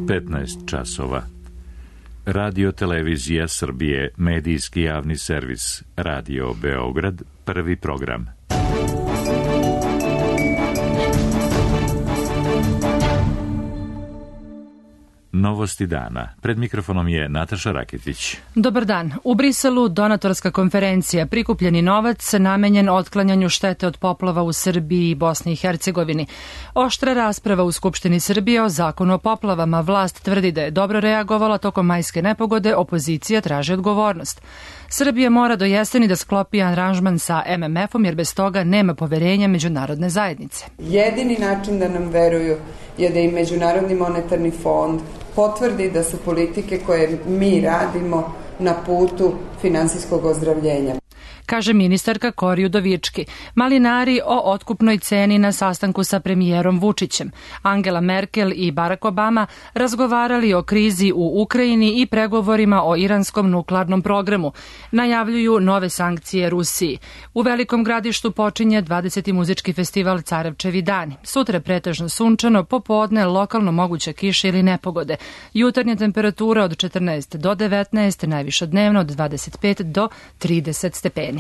15 časova. Radio Televizija Srbije, medijski javni servis, Radio Beograd, prvi program. Novosti dana. Pred mikrofonom je Nataša Raketić. Dobar dan. U Briselu donatorska konferencija, prikupljeni novac namenjen otklanjanju štete od poplava u Srbiji i Bosni i Hercegovini. Oštra rasprava u Skupštini Srbije o zakonu o poplavama. Vlast tvrdi da je dobro reagovala tokom majske nepogode, opozicija traži odgovornost. Srbija mora do jeseni da sklopi aranžman sa MMF-om jer bez toga nema poverenja međunarodne zajednice. Jedini način da nam veruju je da i Međunarodni monetarni fond potvrdi da su politike koje mi radimo na putu finansijskog ozdravljenja, kaže ministarka Kori Udovički. Malinari o otkupnoj ceni na sastanku sa premijerom Vučićem. Angela Merkel i Barack Obama razgovarali o krizi u Ukrajini i pregovorima o iranskom nuklearnom programu. Najavljuju nove sankcije Rusiji. U Velikom Gradištu počinje 20. muzički festival Carevčevi dani. Sutra pretežno sunčano, popodne lokalno moguća kiša ili nepogode. Jutarnja temperatura od 14 do 19, najviša dnevno od 25 do 30 stepeni.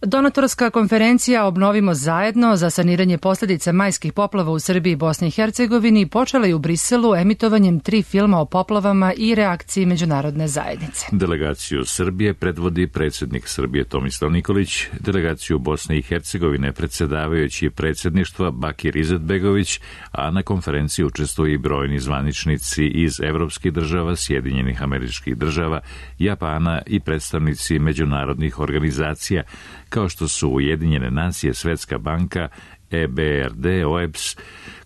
Donatorska konferencija Obnovimo zajedno za saniranje posljedica majskih poplava u Srbiji i Bosni i Hercegovini počela je u Briselu emitovanjem 3 filma o poplavama i reakciji međunarodne zajednice. Delegaciju Srbije predvodi predsjednik Srbije Tomislav Nikolić, delegaciju Bosne i Hercegovine predsjedavajući predsjedništva Bakir Izetbegović, a na konferenciji učestvuju i brojni zvaničnici iz evropskih država, Sjedinjenih Američkih Država, Japana i predstavnici međunarodnih organizacija kao što su Ujedinjene nacije, Svetska banka, EBRD, OEBS.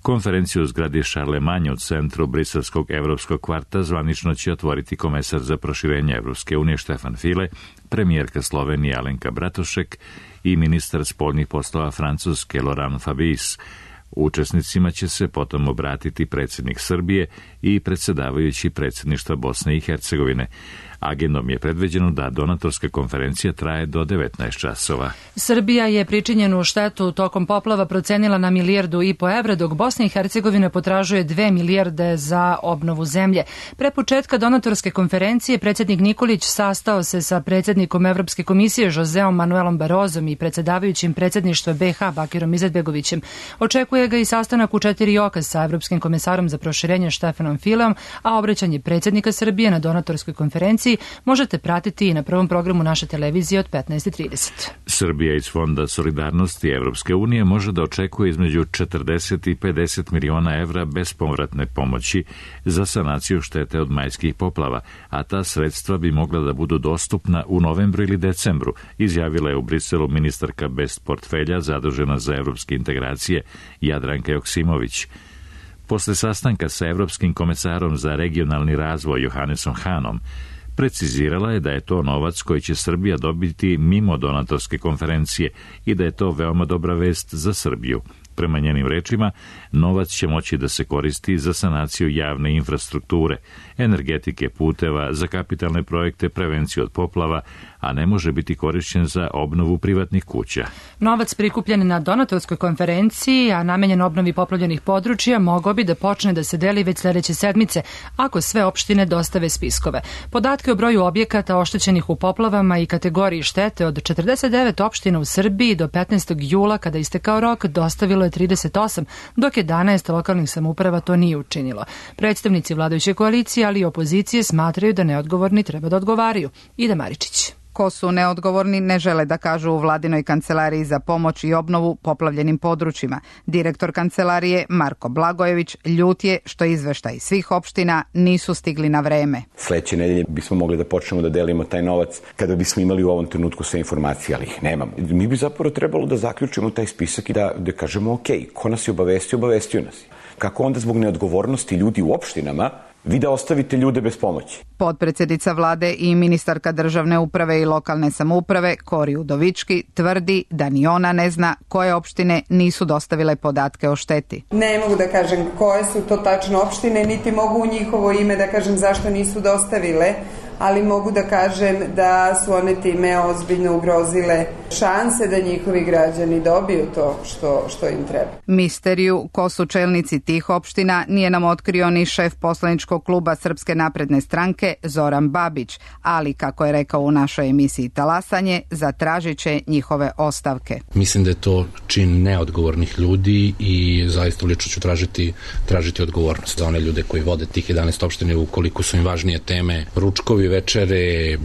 Konferenciju u zgradi Šarlemanje u centru Briselskog evropskog kvarta zvanično će otvoriti komesar za proširenje Evropske unije Štefan File, premijerka Slovenije Alenka Bratušek i ministar spoljnih poslova Francuske Laurent Fabius. Učesnicima će se potom obratiti predsjednik Srbije i predsjedavajući predsjedništva Bosne i Hercegovine. Agendom je predviđeno da donatorska konferencija traje do 19 časova. Srbija je pričinjenu štetu tokom poplava procenila na 1,5 milijardu evra, dok Bosna i Hercegovina potražuje 2 milijarde za obnovu zemlje. Pre početka donatorske konferencije predsjednik Nikolić sastao se sa predsjednikom Evropske komisije Joseom Manuelom Barozom i predsjedavajućim predsjedništva BiH Bakirom Izetbegovićem. Očekuje ga i sastanak u 4 oka sa Evropskim komesarom za proširenje Štefanom Fileom, a obraćanje predsjednika Srbije na donatorskoj konferenciji možete pratiti i na prvom programu naše televizije od 15:30. Srbija iz Fonda solidarnosti Evropske unije može da očekuje između 40 i 50 miliona evra bespovratne pomoći za sanaciju štete od majskih poplava, a ta sredstva bi mogla da budu dostupna u novembru ili decembru, izjavila je u Briselu ministarka bez portfelja zadužena za evropske integracije Jadranka Joksimović. Posle sastanka sa Evropskim komesarom za regionalni razvoj Johannesom Hanom, precizirala je da je to novac koji će Srbija dobiti mimo donatorske konferencije i da je to veoma dobra vest za Srbiju. Prema njenim rečima, novac će moći da se koristi za sanaciju javne infrastrukture, energetike, puteva, za kapitalne projekte, prevenciju od poplava, a ne može biti korišćen za obnovu privatnih kuća. Novac prikupljen na donatorskoj konferenciji, a namenjen obnovi poplavljenih područja, mogao bi da počne da se deli već sljedeće sedmice, ako sve opštine dostave spiskove. Podatke o broju objekata oštećenih u poplavama i kategoriji štete od 49 opština u Srbiji do 15. jula, kada istekao rok, dostavilo je 38, dok 11 lokalnih samouprava to nije učinilo. Predstavnici vladajuće koalicije, ali i opozicije smatraju da neodgovorni treba da odgovaraju. Ida Maričić. Ko su neodgovorni ne žele da kažu u vladinoj kancelariji za pomoć i obnovu poplavljenim područjima. Direktor kancelarije Marko Blagojević ljut je što izveštaj svih opština nisu stigli na vreme. Sledeće nedelje bismo mogli da počnemo da delimo taj novac kada bismo imali u ovom trenutku sve informacije, ali ih nemamo. Mi bi zapravo trebalo da zaključimo taj spisak i da kažemo ok, ko nas je obavestio nas. Kako onda zbog neodgovornosti ljudi u opštinama vi da ostavite ljude bez pomoći? Potpredsjednica vlade i ministarka državne uprave i lokalne samouprave Kori Udovički tvrdi da ni ona ne zna koje opštine nisu dostavile podatke o šteti. Ne mogu da kažem koje su to tačno opštine, niti mogu u njihovo ime da kažem zašto nisu dostavile, ali mogu da kažem da su one time ozbiljno ugrozile šanse da njihovi građani dobiju to što im treba. Misteriju ko su čelnici tih opština nije nam otkrio ni šef poslaničkog kluba Srpske napredne stranke Zoran Babić, ali kako je rekao u našoj emisiji Talasanje, zatražit će njihove ostavke. Mislim da je to čin neodgovornih ljudi i zaista lično ću tražiti odgovornost za one ljude koji vode tih 11 opština ukoliko su im važnije teme ručkovi, večere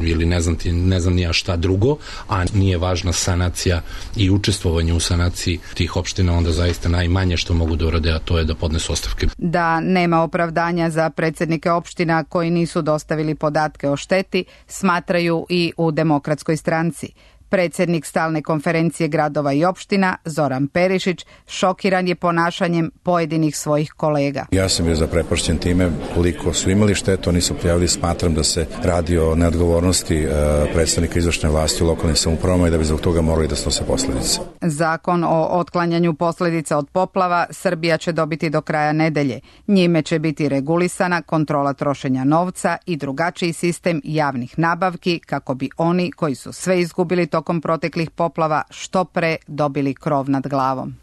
ili ne znam ni ja šta drugo, a nije važna sanacija i učestvovanje u sanaciji tih opština, onda zaista najmanje što mogu da urade, a to je da podnesu ostavke. Da nema opravdanja za predsjednike opština koji nisu dostavili podatke o šteti, smatraju i u Demokratskoj stranci. Predsjednik stalne konferencije gradova i opština, Zoran Perišić, šokiran je ponašanjem pojedinih svojih kolega. Ja sam bio zaprepašćen time koliko su imali štetu, oni su prijavili, smatram da se radi o neodgovornosti predstavnika izvršne vlasti u lokalnim samoupravama i da bi zbog toga morali da snose posljedice. Zakon o otklanjanju posljedica od poplava Srbija će dobiti do kraja nedelje. Njime će biti regulisana kontrola trošenja novca i drugačiji sistem javnih nabavki kako bi oni koji su sve izgubili tokom proteklih poplava što pre dobili krov nad glavom.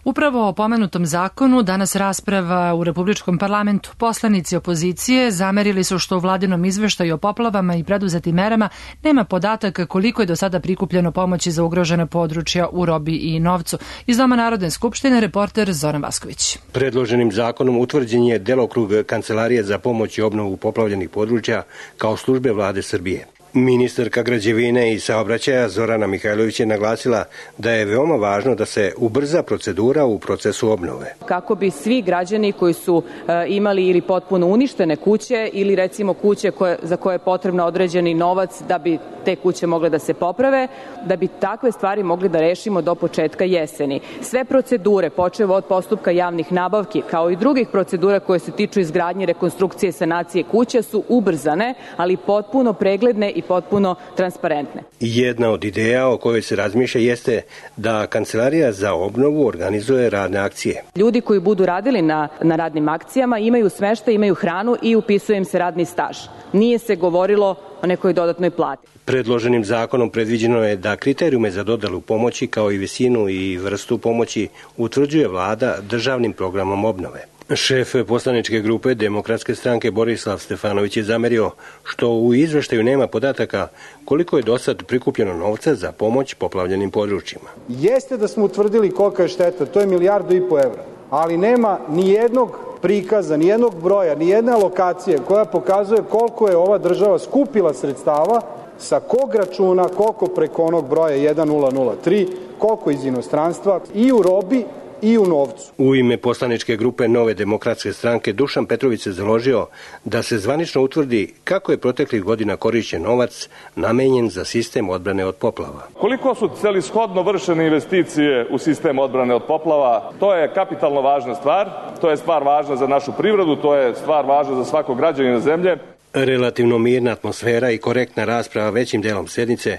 Upravo o pomenutom zakonu danas rasprava u Republičkom parlamentu. Poslanici opozicije zamerili su što u vladinom izveštaju o poplavama i preduzetim merama nema podataka koliko je do sada prikupljeno pomoći za ugrožena područja u robi i novcu. Iz Doma Narodne skupštine reporter Zoran Vasković. Predloženim zakonom utvrđen je delokrug Kancelarije za pomoć i obnovu poplavljenih područja kao službe vlade Srbije. Ministarka građevine i saobraćaja Zorana Mihajlović je naglasila da je veoma važno da se ubrza procedura u procesu obnove. Kako bi svi građani koji su imali ili potpuno uništene kuće ili recimo kuće za koje je potrebno određeni novac da bi te kuće mogle da se poprave, da bi takve stvari mogli da rešimo do početka jeseni. Sve procedure, počev od postupka javnih nabavki, kao i drugih procedura koje se tiču izgradnje, rekonstrukcije, sanacije kuća su ubrzane, ali potpuno pregledne i potpuno transparentne. Jedna od ideja o kojoj se razmišlja jeste da Kancelarija za obnovu organizuje radne akcije. Ljudi koji budu radili na radnim akcijama imaju smeštaj, imaju hranu i upisuje im se radni staž. Nije se govorilo o nekoj dodatnoj plati. Predloženim zakonom predviđeno je da kriterijume za dodelu pomoći kao i visinu i vrstu pomoći utvrđuje vlada državnim programom obnove. Šef poslaničke grupe Demokratske stranke Borislav Stefanović je zamerio što u izveštaju nema podataka koliko je do sad prikupljeno novca za pomoć poplavljenim područjima. Jeste da smo utvrdili kolika je šteta, to je 1,5 milijardu evra, ali nema ni jednog prikaza, ni jednog broja, ni jedne alokacije koja pokazuje koliko je ova država skupila sredstava, sa kog računa, koliko preko onog broja 1003, koliko iz inostranstva i u robi i u novcu. U ime poslaničke grupe Nove demokratske stranke Dušan Petrović se založio da se zvanično utvrdi kako je proteklih godina korišćen novac namenjen za sistem odbrane od poplava. Koliko su celishodno vršene investicije u sistem odbrane od poplava, to je kapitalno važna stvar, to je stvar važna za našu privredu, to je stvar važna za svakog građanina zemlje. Relativno mirna atmosfera i korektna rasprava većim delom sednice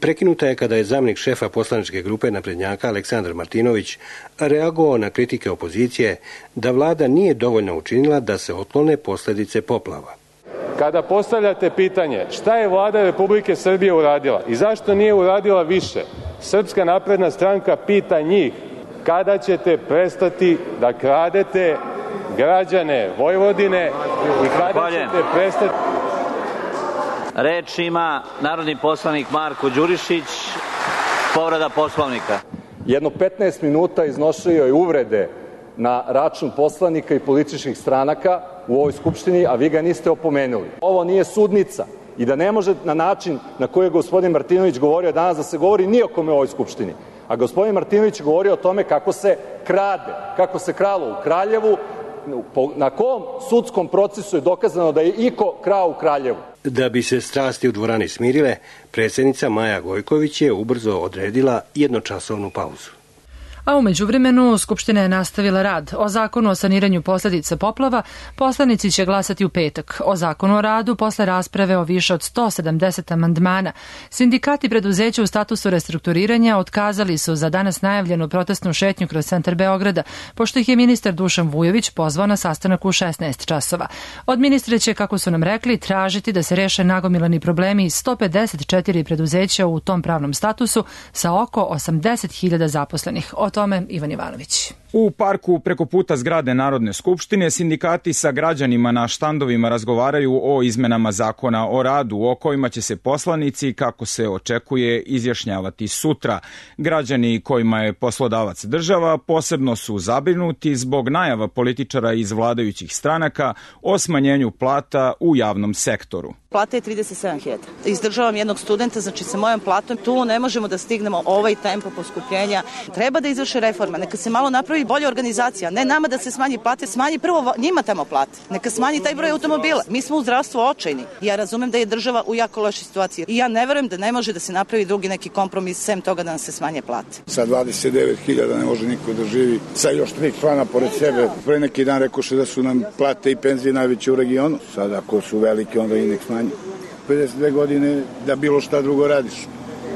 prekinuta je kada je zamjenik šefa poslaničke grupe naprednjaka Aleksandar Martinović reagovao na kritike opozicije da vlada nije dovoljno učinila da se otklone posljedice poplava. Kada postavljate pitanje šta je vlada Republike Srbije uradila i zašto nije uradila više, Srpska napredna stranka pita njih kada ćete prestati da kradete građane Vojvodine i kada ćete prestati... Reč ima narodni poslanik Marko Đurišić, povreda Poslovnika. Jedno 15 minuta iznosio je uvrede na račun poslanika i političkih stranaka u ovoj Skupštini, a vi ga niste opomenuli. Ovo nije sudnica i da ne može na način na koji je gospodin Martinović govorio danas da se govori ni o kome u ovoj Skupštini. A gospodin Martinović govorio o tome kako se krade, kako se kralo u Kraljevu, na kom sudskom procesu je dokazano da je iko krao u Kraljevu. Da bi se strasti u dvorani smirile, predsjednica Maja Gojković je ubrzo odredila jednočasovnu pauzu. A u međuvremenu Skupština je nastavila rad. O zakonu o saniranju posljedica poplava poslanici će glasati u petak. O zakonu o radu posle rasprave o više od 170 amandmana. Sindikati preduzeća u statusu restrukturiranja otkazali su za danas najavljenu protestnu šetnju kroz centar Beograda, pošto ih je ministar Dušan Vujović pozvao na sastanak u 16 časova. Od ministra će, kako su nam rekli, tražiti da se reše nagomilani problemi 154 preduzeća u tom pravnom statusu sa oko 80.000 zaposlenih. O tome Ivan Ivanović. U parku preko puta zgrade Narodne skupštine sindikati sa građanima na štandovima razgovaraju o izmenama zakona o radu, o kojima će se poslanici, kako se očekuje, izjašnjavati sutra. Građani kojima je poslodavac država posebno su zabrinuti zbog najava političara iz vladajućih stranaka o smanjenju plata u javnom sektoru. Plata je 37.000. Izdržavam jednog studenta, znači sa mojom platom tu ne možemo da stignemo ovaj tempo poskupljenja. Treba da izvrše reforma, neka se malo napravi bolja organizacija, ne nama da se smanji plate, smanji prvo njima tamo plate, neka smanji taj broj automobila. Mi smo u zdravstvu očajni. Ja razumem da je država u jako lošoj situaciji i ja ne verujem da ne može da se napravi drugi neki kompromis sem toga da nam se smanje plate. Sa 29.000 ne može niko da živi, sa još 3 člana pored sebe. Pre neki dan rekoše da su nam plate i penzije najveće u regionu. Sad ako su velike, onda i nek smanji. 52 godine da bilo šta drugo radiš.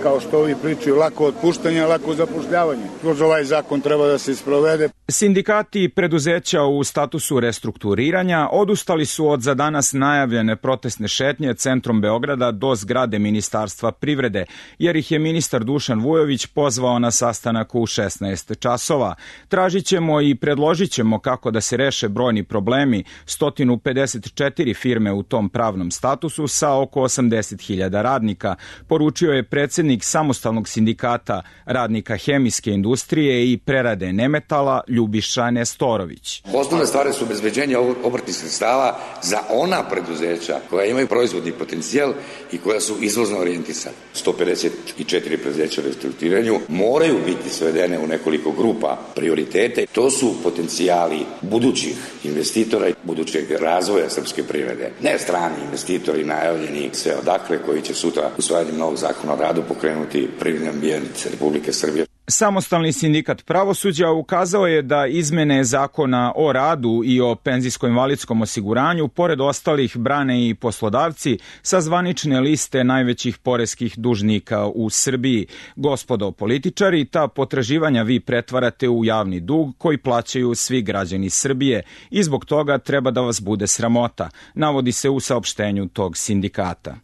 Kao što ovi pričaju, lako otpuštanje, lako zapošljavanje. Kroz ovaj zakon treba da se sprovede. Sindikati preduzeća u statusu restrukturiranja odustali su od za danas najavljene protestne šetnje centrom Beograda do zgrade Ministarstva privrede, jer ih je ministar Dušan Vujović pozvao na sastanak u 16 časova. Tražit ćemo i predložit ćemo kako da se reše brojni problemi 154 firme u tom pravnom statusu sa oko 80.000 radnika, poručio je predsjednik samostalnog sindikata radnika hemijske industrije i prerade nemetala Ljubiša Nestorović. Osnovne stvari su obezbeđenje obrtnih sredstava za ona preduzeća koja imaju proizvodni potencijal i koja su izvozno orijentisana. 154 preduzeća u restrukturiranju moraju biti svedene u nekoliko grupa prioritete. To su potencijali budućih investitora i budućeg razvoja srpske privrede. Ne strani investitori najavljeni sve odakle koji će sutra usvajanjem novog zakona o radu pokrenuti privredni ambijent Republike Srbije. Samostalni sindikat pravosuđa ukazao je da izmene zakona o radu i o penzijsko-invalidskom osiguranju, pored ostalih, brane i poslodavci sa zvanične liste najvećih poreskih dužnika u Srbiji. Gospodo političari, ta potraživanja vi pretvarate u javni dug koji plaćaju svi građani Srbije i zbog toga treba da vas bude sramota, navodi se u saopštenju tog sindikata.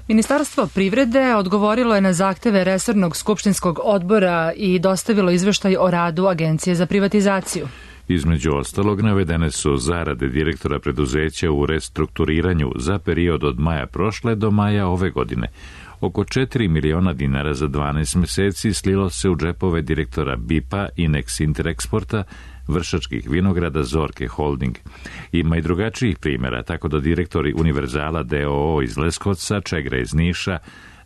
Ministarstvo privrede odgovorilo je na zahteve resornog skupštinskog odbora i dostavilo izveštaj o radu Agencije za privatizaciju. Između ostalog, navedene su zarade direktora preduzeća u restrukturiranju za period od maja prošle do maja ove godine. Oko 4 miliona dinara za 12 meseci slilo se u džepove direktora BIP-a i Inex Interexporta, Vršačkih vinograda, Zorke Holding. Ima i drugačijih primjera, tako da direktori Univerzala d.o.o. iz Leskovca, Čegra iz Niša,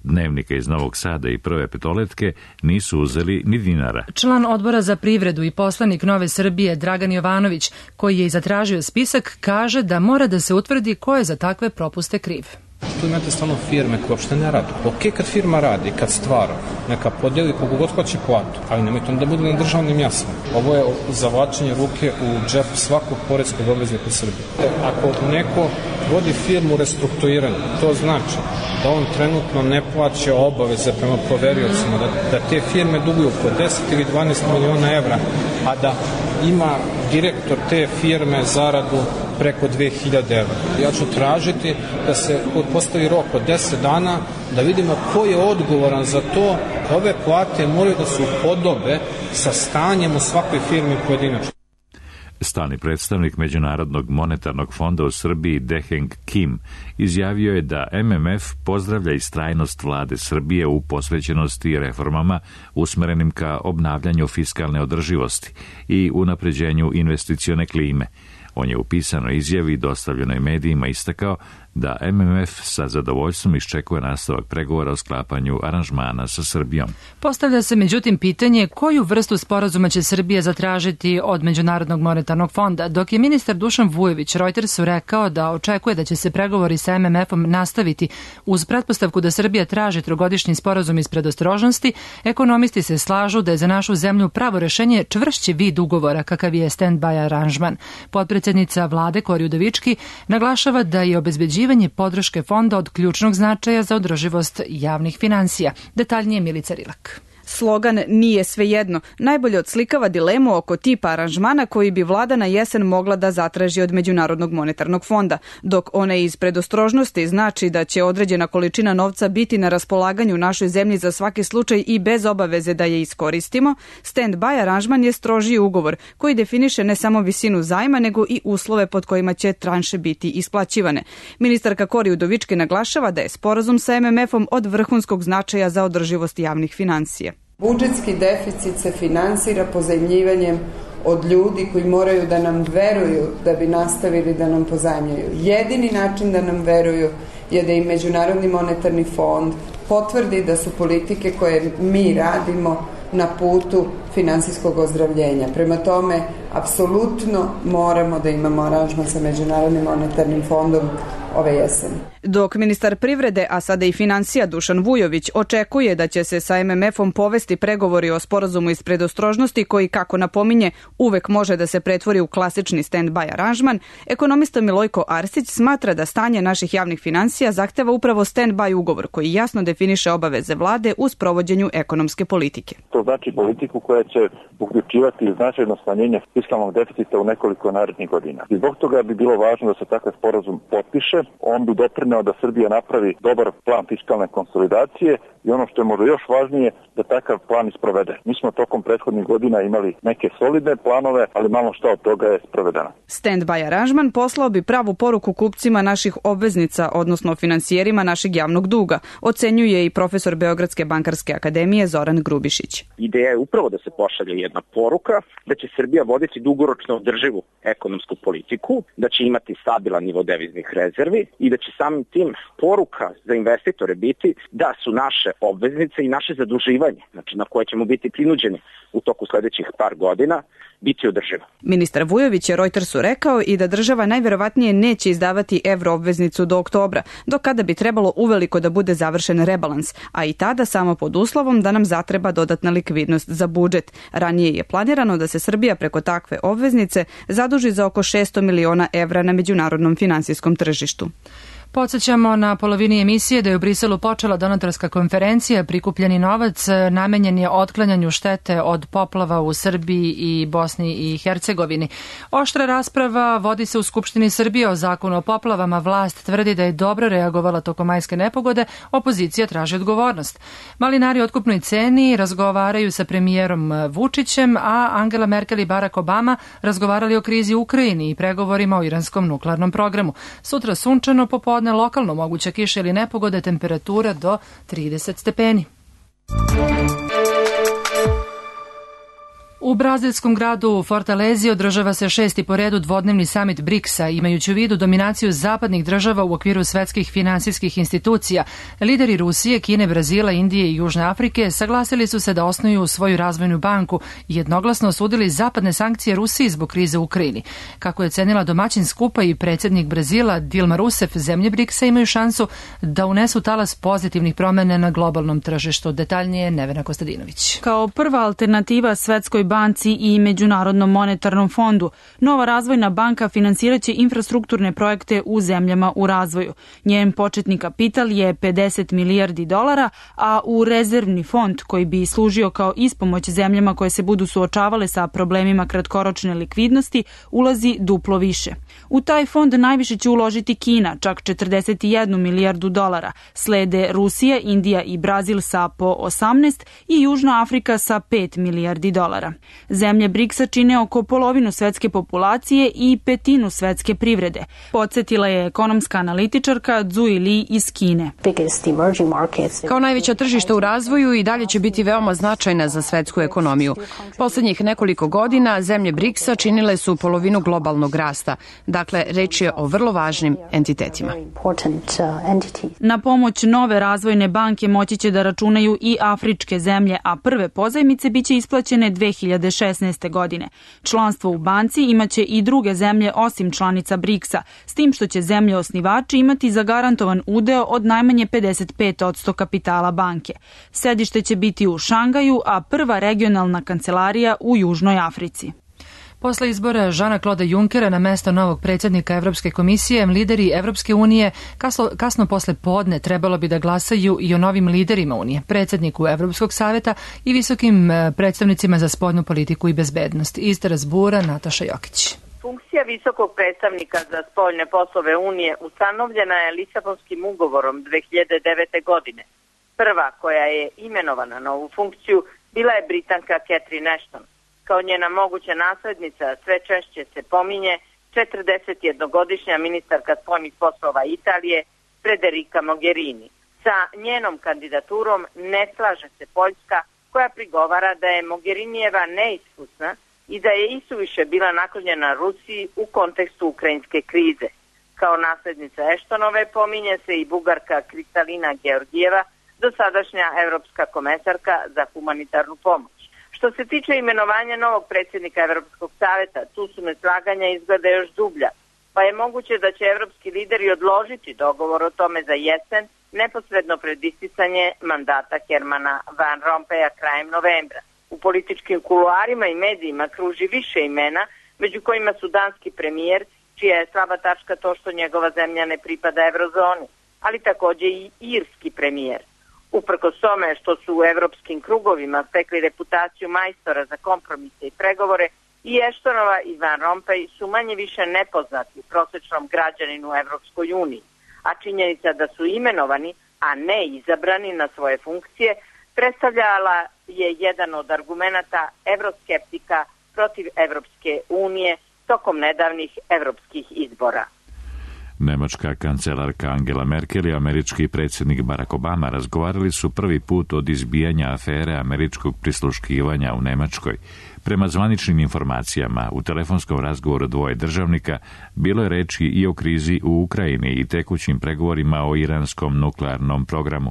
Dnevnika iz Novog Sada i Prve petoletke nisu uzeli ni dinara. Član odbora za privredu i poslanik Nove Srbije Dragan Jovanović, koji je i zatražio spisak, kaže da mora da se utvrdi ko je za takve propuste kriv. Tu imate stvarno firme koje uopšte ne rade. Ok, kad firma radi, kad stvara, neka podijeli kogu god hoće platu, ali nemojte da bude na državnim jasama. Ovo je zavlačenje ruke u džep svakog poreskog obveznika u Srbiji. Ako neko vodi firmu u restrukturiranju, to znači da on trenutno ne plaća obaveze prema poveriocima, da te firme duguju po 10 ili 12 miliona evra, a da ima direktor te firme zaradu preko 2000 evra. Ja ću tražiti da se postavi rok od 10 dana, da vidimo ko je odgovoran za to. Ove plate moraju da se upodobe sa stanjem u svakoj firmi pojedinačno. Stalni predstavnik Međunarodnog monetarnog fonda u Srbiji Deheng Kim izjavio je da MMF pozdravlja istrajnost vlade Srbije u posvećenosti reformama usmerenim ka obnavljanju fiskalne održivosti i unapređenju investicione klime. On je u pisanoj izjavi dostavljenoj medijima istakao da MMF sa zadovoljstvom iščekuje nastavak pregovora o sklapanju aranžmana sa Srbijom. Postavlja se međutim pitanje koju vrstu sporazuma će Srbija zatražiti od Međunarodnog monetarnog fonda, dok je ministar Dušan Vujović Reutersu rekao da očekuje da će se pregovori sa MMF-om nastaviti uz pretpostavku da Srbija traži trogodišnji sporazum iz predostrožnosti. Ekonomisti se slažu da je za našu zemlju pravo rešenje čvršći vid ugovora kakav je stand-by aranžman. Potpredsednica vlade Kori Udovički naglašava da je obezbeđivanje podrške fonda od ključnog značaja za održivost javnih finansija. Detaljnije Milica Rilak. Slogan "Nije svejedno" najbolje odslikava dilemu oko tipa aranžmana koji bi vlada na jesen mogla da zatraži od Međunarodnog monetarnog fonda, dok one iz predostrožnosti znači da će određena količina novca biti na raspolaganju našoj zemlji za svaki slučaj i bez obaveze da je iskoristimo. Stand-by aranžman je strožiji ugovor koji definiše ne samo visinu zajma nego i uslove pod kojima će tranše biti isplaćivane. Ministarka Kori Udovički naglašava da je sporazum sa MMF-om od vrhunskog značaja za održivost javnih finansija. Budžetski deficit se finansira pozajmljivanjem od ljudi koji moraju da nam veruju da bi nastavili da nam pozajmljuju. Jedini način da nam veruju je da i Međunarodni monetarni fond potvrdi da su politike koje mi radimo na putu finansijskog ozdravljenja. Prema tome, apsolutno moramo da imamo aranžman sa Međunarodnim monetarnim fondom ove jeseni. Dok ministar privrede, a sada i finansija Dušan Vujović, očekuje da će se sa MMF-om povesti pregovori o sporazumu iz predostrožnosti koji, kako napominje, uvek može da se pretvori u klasični stand-by aranžman, ekonomista Milojko Arsić smatra da stanje naših javnih finansija zahteva upravo stand-by ugovor koji jasno definiše obaveze vlade u sprovođenju ekonomske politike. To znači politiku koja će uključivati značajno smanjenje fiskalnog deficita u nekoliko narednih godina. I zbog toga bi bilo važno da se takav sporazum potpiše. On bi doprineo da Srbija napravi dobar plan fiskalne konsolidacije i ono što je možda još važnije, da takav plan isprovede. Mi smo tokom prethodnih godina imali neke solidne planove, ali malo šta od toga je sprovedeno. Stand-by aranžman poslao bi pravu poruku kupcima naših obveznica, odnosno finansijerima našeg javnog duga, ocenjuje i profesor Beogradske bankarske akademije Zoran Grubišić. Ideja je upravo da se pošalje jedna poruka da će Srbija voditi dugoročno održivu ekonomsku politiku, da će imati stabilan nivo deviznih rezervi i da će samim tim poruka za investitore biti da su naše obveznice i naše zaduživanje, znači na koje ćemo biti prinuđeni u toku sledećih par godina, biti održiva. Ministar Vujović je Reutersu rekao i da država najverovatnije neće izdavati evroobveznicu do oktobra, do kada bi trebalo uveliko da bude završen rebalans, a i tada samo pod uslovom da nam zatreba dodatna likvidnost za budžet. Ranije je planirano da se Srbija preko takve obveznice zaduži za oko 600 miliona evra na međunarodnom finansijskom tržištu. Podsjećamo na polovini emisije da je u Briselu počela donatorska konferencija. Prikupljeni novac namenjen je otklanjanju štete od poplava u Srbiji i Bosni i Hercegovini. Oštra rasprava vodi se u Skupštini Srbije o zakonu o poplavama. Vlast tvrdi da je dobro reagovala tokom majske nepogode, opozicija traži odgovornost. Malinari o otkupnoj ceni razgovaraju sa premijerom Vučićem, a Angela Merkel i Barack Obama razgovarali o krizi u Ukrajini i pregovorima o iranskom nuklearnom programu. Sutra sunčano, popodne lokalno moguća kiša ili nepogode, temperatura do 30 stepeni. U brazilskom gradu Fortalezi održava se 6. po redu dvodnevni samit BRICS-a, imajući u vidu dominaciju zapadnih država u okviru svetskih finansijskih institucija. Lideri Rusije, Kine, Brazila, Indije i Južne Afrike saglasili su se da osnuju svoju razvojnu banku i jednoglasno osudili zapadne sankcije Rusiji zbog krize u Ukrajini. Kako je cenila domaćin skupa i predsjednik Brazila Dilma Rousseff, zemlje BRICS-a imaju šansu da unesu talas pozitivnih promjena na globalnom tržištu. Detaljnije Nevena Kostadinović. Kao prva alternativa Svetskoj banci i Međunarodnom monetarnom fondu, nova razvojna banka finansiraće infrastrukturne projekte u zemljama u razvoju. Njen početni kapital je 50 milijardi dolara, a u rezervni fond koji bi služio kao ispomoć zemljama koje se budu suočavale sa problemima kratkoročne likvidnosti ulazi duplo više. U taj fond najviše će uložiti Kina, čak 41 milijardu dolara. Slede Rusija, Indija i Brazil sa po 18 i Južna Afrika sa 5 milijardi dolara. Zemlje BRICS-a čine oko polovinu svetske populacije i petinu svetske privrede, podsjetila je ekonomska analitičarka Zui Li iz Kine. Kao najveća tržišta u razvoju i dalje će biti veoma značajna za svetsku ekonomiju. Poslednjih nekoliko godina zemlje BRICS-a činile su polovinu globalnog rasta. Dakle, reč je o vrlo važnim entitetima. Na pomoć nove razvojne banke moći će da računaju i afričke zemlje, a prve pozajmice biće isplaćene 2016. godine. Članstvo u banci imaće i druge zemlje osim članica BRICS-a, s tim što će zemlje osnivači imati zagarantovan udeo od najmanje 55% kapitala banke. Sedište će biti u Šangaju, a prva regionalna kancelarija u Južnoj Africi. Posle izbora Žana-Kloda Junckera na mesto novog predsjednika Evropske komisije, lideri Evropske unije kasno posle podne trebalo bi da glasaju i o novim liderima unije, predsjedniku Evropskog saveta i visokim predstavnicima za spoljnu politiku i bezbednost. Iz Strasbura, Nataša Jokić. Funkcija visokog predstavnika za spoljne poslove Unije ustanovljena je Lisabonskim ugovorom 2009. godine. Prva koja je imenovana na ovu funkciju bila je Britanka Catherine Ashton. Kao njena moguća naslednica sve češće se pominje 41-godišnja ministarka spoljnih poslova Italije Federica Mogherini. Sa njenom kandidaturom ne slaže se Poljska, koja prigovara da je Mogherinijeva neiskusna i da je isuviše bila naklonjena Rusiji u kontekstu ukrajinske krize. Kao naslednica Eštonove pominje se i Bugarka Kristalina Georgijeva, dosadašnja evropska komesarka za humanitarnu pomoć. Što se tiče imenovanja novog predsjednika Evropskog saveta, tu su neslaganja izgleda još dublja, pa je moguće da će evropski lideri odložiti dogovor o tome za jesen, neposredno pred isticanje mandata Hermana Van Rompuya krajem novembra. U političkim kuluarima i medijima kruži više imena, među kojima su danski premijer, čija je slaba tačka to što njegova zemlja ne pripada eurozoni, ali također i irski premijer. Uprkos tome što su u evropskim krugovima stekli reputaciju majstora za kompromise i pregovore, i Eštonova i Van Rompuy su manje više nepoznati prosječnom građaninu u Evropskoj uniji, a činjenica da su imenovani, a ne izabrani na svoje funkcije, predstavljala je jedan od argumenata evroskeptika protiv Evropske unije tokom nedavnih evropskih izbora. Nemačka kancelarka Angela Merkel i američki predsjednik Barack Obama razgovarali su prvi put od izbijanja afere američkog prisluškivanja u Nemačkoj. Prema zvaničnim informacijama, u telefonskom razgovoru dvoje državnika bilo je reči i o krizi u Ukrajini i tekućim pregovorima o iranskom nuklearnom programu.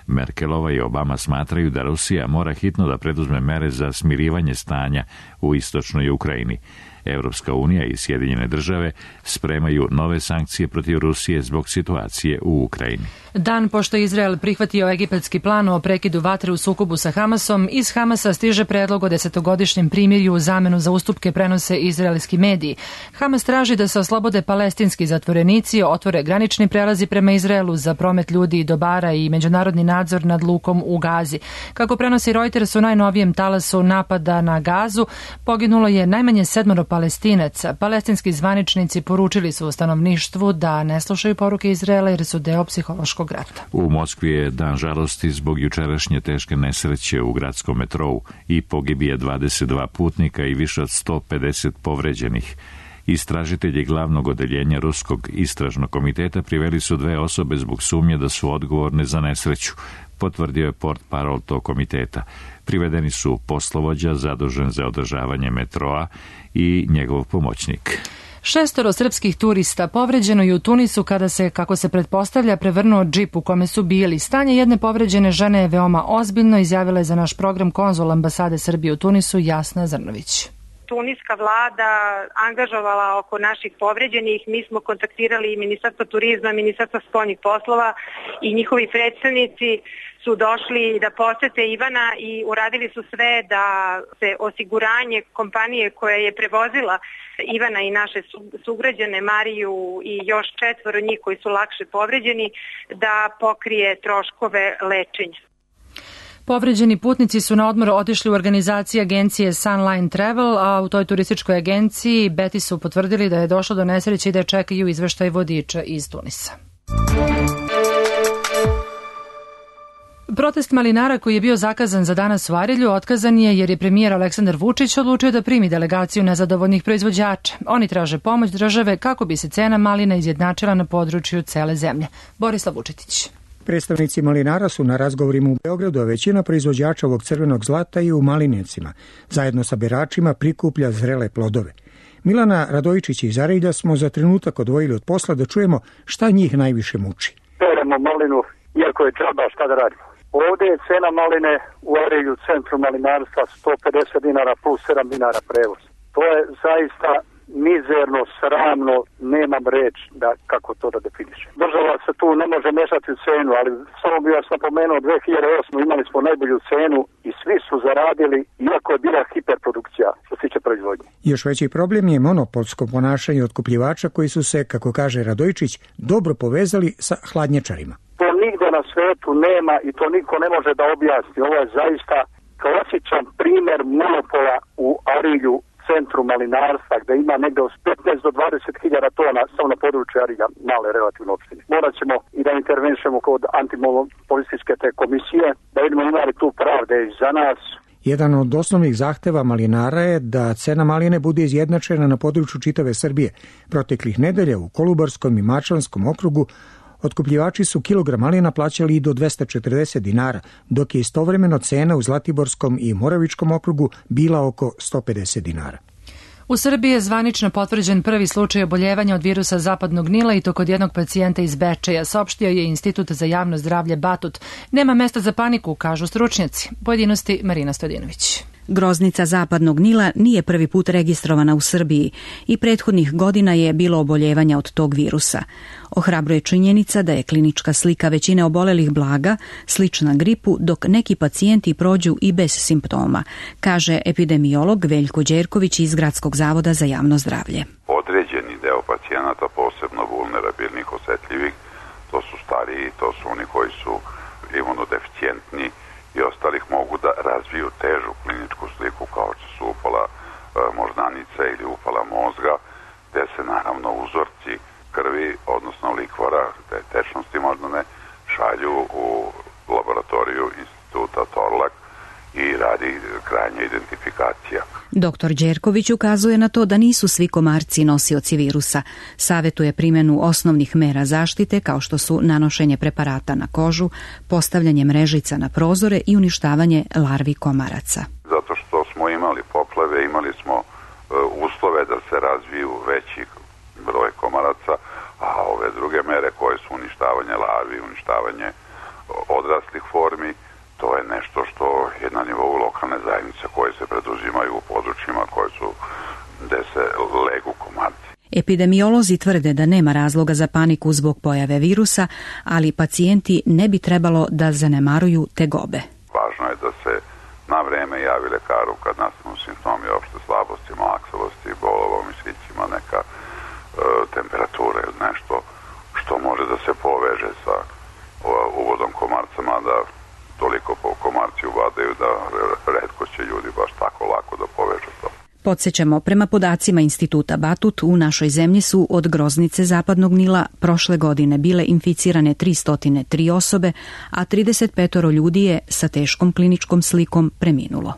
Merkelova i Obama smatraju da Rusija mora hitno da preduzme mere za smirivanje stanja u istočnoj Ukrajini. Evropska unija i Sjedinjene države spremaju nove sankcije protiv Rusije zbog situacije u Ukrajini. Dan pošto je Izrael prihvatio egipatski plan o prekidu vatre u sukobu sa Hamasom, iz Hamasa stiže predlog o 10-godišnjem primirju u zamenu za ustupke, prenose izraelski mediji. Hamas traži da se oslobode palestinski zatvorenici, otvore granični prelazi prema Izraelu za promet ljudi i dobara i međunarodni nadzor nad lukom u Gazi. Kako prenosi Reuters, u najnovijem talasu napada na Gazu poginulo je najmanje 7 Palestinaca. Palestinski zvaničnici poručili su stanovništvu da ne slušaju poruke Izraela jer su deo psihološkog rata. U Moskvi je dan žalosti zbog jučerašnje teške nesreće u gradskom metrou i pogibije 22 putnika i više od 150 povređenih. Istražitelji glavnog odeljenja Ruskog istražnog komiteta priveli su 2 osobe zbog sumnje da su odgovorne za nesreću, potvrdio je portparol tog komiteta. Privedeni su poslovođa zadužen za održavanje metroa i njegov pomoćnik. 6 srpskih turista povređeno je u Tunisu kada se, kako se pretpostavlja, prevrnuo džip u kome su bili. Stanje jedne povređene žene je veoma ozbiljno, izjavila je za naš program konzul ambasade Srbije u Tunisu Jasna Zrnović. Tuniska vlada angažovala oko naših povređenih. Mi smo kontaktirali Ministarstvo turizma, Ministarstvo spoljnih poslova i njihovi predstavnici su došli da posete Ivana i uradili su sve da se osiguranje kompanije koja je prevozila Ivana i naše sugrađane Mariju i još 4 njih koji su lakše povređeni da pokrije troškove lečenja. Povređeni putnici su na odmor otišli u organizaciji agencije Sunline Travel, a u toj turističkoj agenciji Beti su potvrdili da je došlo do nesreće i da čekaju izveštaj vodiča iz Tunisa. Protest malinara koji je bio zakazan za danas u Arilju otkazan je jer je premijer Aleksandar Vučić odlučio da primi delegaciju nezadovoljnih proizvođača. Oni traže pomoć države kako bi se cena malina izjednačila na području cele zemlje. Borislav Vučetić. Predstavnici malinara su na razgovorima u Beogradu, a većina proizvođača ovog crvenog zlata i u Malinicima. Zajedno sa beračima prikuplja zrele plodove. Milana Radojičić iz Arilja smo za trenutak odvojili od posla da čujemo šta njih najviše muči. Peremo malinu, iako je džaba, šta da radimo. Ovdje je cena maline u Arilju, centru malinarstva, 150 dinara plus 7 dinara prevoz. To je zaista mizerno, sramno, nemam reč da kako to da definišem. Država se tu ne može mešati u cenu, ali samo bih vas napomenuo, 2008. imali smo najbolju cenu i svi su zaradili, iako je bila hiperprodukcija što se tiče proizvodnje. Još veći problem je monopolsko ponašanje otkupljivača koji su se, kako kaže Radojičić, dobro povezali sa hladnjačarima. To nigde na svetu nema i to niko ne može da objasni. Ovo je zaista klasičan primer monopola u Arilju, centru malinarstva, gde ima negde od 15 do 20 hiljada tona samo na području Arilja, male relativno opštine. Morat ćemo i da intervenišemo kod antimonopolističke te komisije, da vidimo imali tu pravde i za nas. Jedan od osnovnih zahteva malinara je da cena maline bude izjednačena na području čitave Srbije. Proteklih nedelja u Kolubarskom i Mačvanskom okrugu otkupljivači su kilogram malina plaćali i do 240 dinara, dok je istovremeno cena u Zlatiborskom i Moravičkom okrugu bila oko 150 dinara. U Srbiji je zvanično potvrđen prvi slučaj oboljevanja od virusa zapadnog Nila i to kod jednog pacijenta iz Bečeja, saopštio je Institut za javno zdravlje Batut. Nema mesta za paniku, kažu stručnjaci. Pojedinosti Marina Stojadinović. Groznica zapadnog Nila nije prvi put registrovana u Srbiji i prethodnih godina je bilo oboljevanja od tog virusa. Ohrabruje činjenica da je klinička slika većine obolelih blaga, slična gripu, dok neki pacijenti prođu i bez simptoma, kaže epidemiolog Veljko Đerković iz Gradskog zavoda za javno zdravlje. Određeni deo pacijenata, posebno vulnerabilnih, osetljivih, to su stariji, to su oni koji su imunodeficijentni i ostalih, mogu da razviju težu kliničku sliku kao što su upala moždanica ili upala mozga, gde se naravno uzorci krvi, odnosno likvora, te tečnosti moždane, šalju u laboratoriju instituta Torlak i radi krajnja identifikacija. Dr. Đerković ukazuje na to da nisu svi komarci nosioci virusa. Savetuje primjenu osnovnih mera zaštite kao što su nanošenje preparata na kožu, postavljanje mrežica na prozore i uništavanje larvi komaraca. Zato što smo imali poplave, imali smo uslove da se razviju veći broj komaraca, a ove druge mere koje su uništavanje larvi, uništavanje odraslih formi, to je nešto što je na nivou lokalne zajednice koje se preduzimaju u područjima koje su gde se legu komarci. Epidemiolozi tvrde da nema razloga za paniku zbog pojave virusa, ali pacijenti ne bi trebalo da zanemaruju tegobe. Važno je da se na vreme javi lekaru kad nastanu simptomi opšte slabosti, malaksavosti, bolova u mišićima, neka temperatura ili nešto što može da se poveže sa uvodom komarcama, da toliko po komarci uvadaju da retko će ljudi baš tako lako da povežu to. Podsjećamo, prema podacima Instituta Batut, u našoj zemlji su od groznice zapadnog Nila prošle godine bile inficirane 303 osobe, a 35 ljudi je sa teškom kliničkom slikom preminulo.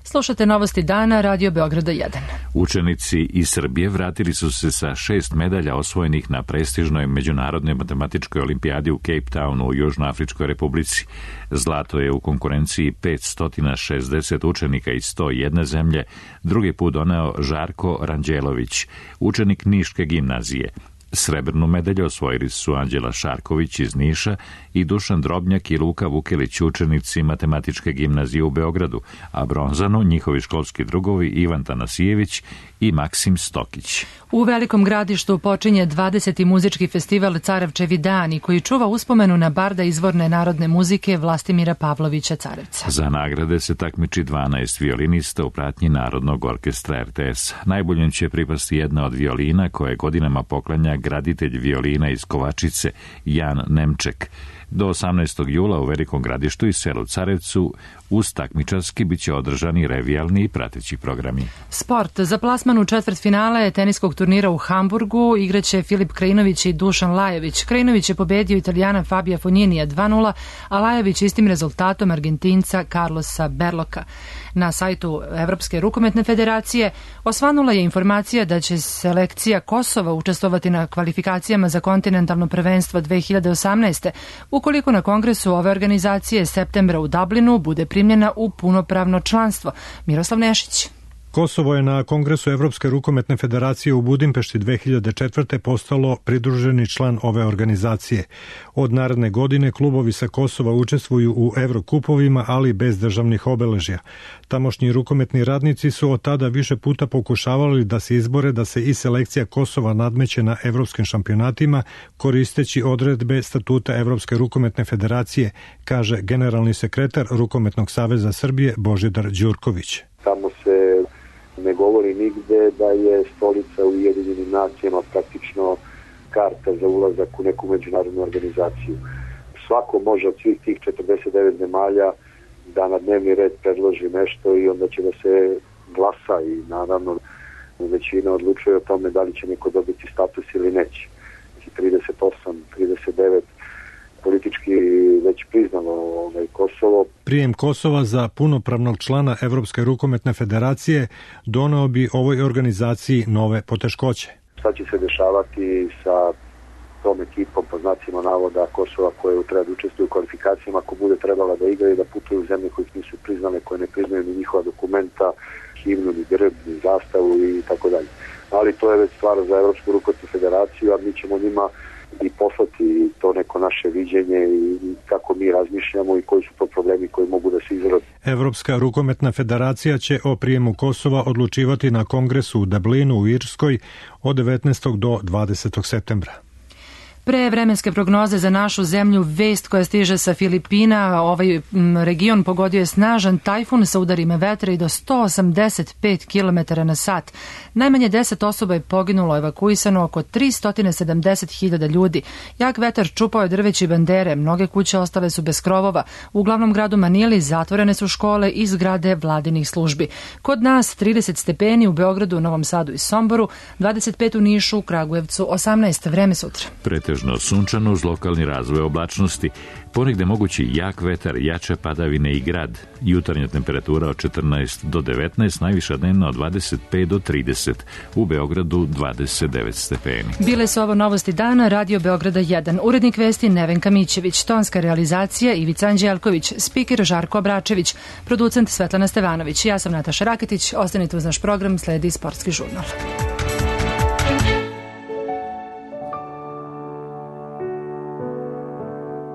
Slušate Novosti dana, Radio Beograda 1. Učenici iz Srbije vratili su se sa 6 medalja osvojenih na prestižnoj međunarodnoj matematičkoj olimpijadi u Cape Townu u Južnoafričkoj republici. Zlato je u konkurenciji 560 učenika iz 101 zemlje drugi put doneo Žarko Ranđelović, učenik Niške gimnazije. Srebrnu medalju osvojili su Anđela Šarković iz Niša i Dušan Drobnjak i Luka Vukelić, učenici Matematičke gimnazije u Beogradu, a bronzanu njihovi školski drugovi Ivan Tanasijević i Maksim Stokić. U Velikom Gradištu počinje 20. muzički festival Carevčevi dani, koji čuva uspomenu na barda izvorne narodne muzike Vlastimira Pavlovića Carevca. Za nagrade se takmiči 12 violinista u pratnji Narodnog orkestra RTS. Najboljim će pripasti jedna od violina koje godinama poklanja graditelj violina iz Kovačice, Jan Nemček. Do 18. jula u Velikom Gradištu i selu Carevcu uz takmičarski biće održani revijalni i prateći programi. Sport. Za plasman u četvrtfinale teniskog turnira u Hamburgu igraće Filip Krajinović i Dušan Lajović. Krajinović je pobedio Italijana Fabija Fogninija 2:0, a Lajović istim rezultatom Argentinca Carlosa Berloka. Na sajtu Evropske rukometne federacije osvanula je informacija da će selekcija Kosova učestvovati na kvalifikacijama za kontinentalno prvenstvo 2018. ukoliko na kongresu ove organizacije septembra u Dublinu bude primljena u punopravno članstvo. Miroslav Nešić. Kosovo je na Kongresu Evropske rukometne federacije u Budimpešti 2004. postalo pridruženi član ove organizacije. Od naredne godine klubovi sa Kosova učestvuju u Evrokupovima, ali bez državnih obeležja. Tamošnji rukometni radnici su od tada više puta pokušavali da se izbore da se i selekcija Kosova nadmeće na evropskim šampionatima koristeći odredbe statuta Evropske rukometne federacije, kaže generalni sekretar Rukometnog saveza Srbije Božidar Đurković. Tamo se ne govori nigde da je stolica u Ujedinjenim nacijama praktično karta za ulazak u neku međunarodnu organizaciju. Svako može od svih tih 49 zemalja da na dnevni red predloži nešto i onda će da se glasa i naravno većina odlučuje o tome da li će neko dobiti status ili neće. 38, 39 politički već priznalo Kosovo. Prijem Kosova za punopravnog člana Evropske rukometne federacije doneo bi ovoj organizaciji nove poteškoće. Šta će se dešavati sa tom ekipom, po znacima navoda Kosova, koje treba da učestvuju u kvalifikacijama, ako bude trebala da igraju, da putuju u zemlje koje nisu priznale, koje ne priznaju ni njihova dokumenta, himnu, ni grb, ni zastavu i tako dalje. Ali to je već stvar za Evropsku rukometnu federaciju, a mi ćemo njima i poslati to neko naše viđenje i kako mi razmišljamo i koji su to problemi koji mogu da se izrode. Evropska rukometna federacija će o prijemu Kosova odlučivati na kongresu u Dublinu u Irskoj od 19. do 20. septembra. Pre vremenske prognoze za našu zemlju, vest koja stiže sa Filipina, ovaj region pogodio je snažan tajfun sa udarima vetra i do 185 km na sat. Najmanje 10 osoba je poginulo, evakuisano oko 370.000 ljudi. Jak vetar čupao je drveće bandere, mnoge kuće ostale su bez krovova. U glavnom gradu Manili zatvorene su škole i zgrade vladinih službi. Kod nas 30 stepeni, u Beogradu, Novom Sadu i Somboru, 25 u Nišu, Kragujevcu, 18. Vreme sutra. Pretežno sunčano uz lokalni razvoj oblačnosti, ponegde mogući jak vetar, jače padavine i grad. Jutarnja temperatura od 14 do 19, najviša dnevna od 25 do 30, u Beogradu 29 stepeni. Bile su ovo novosti dana, Radio Beograda 1. Urednik vesti Nevenka Mićević, tonska realizacija Ivica Anđelković, spiker Žarko Obračević, producent Svetlana Stevanović. Ja sam Nataša Raketić, ostanite uz naš program, sledi Sportski žurnal.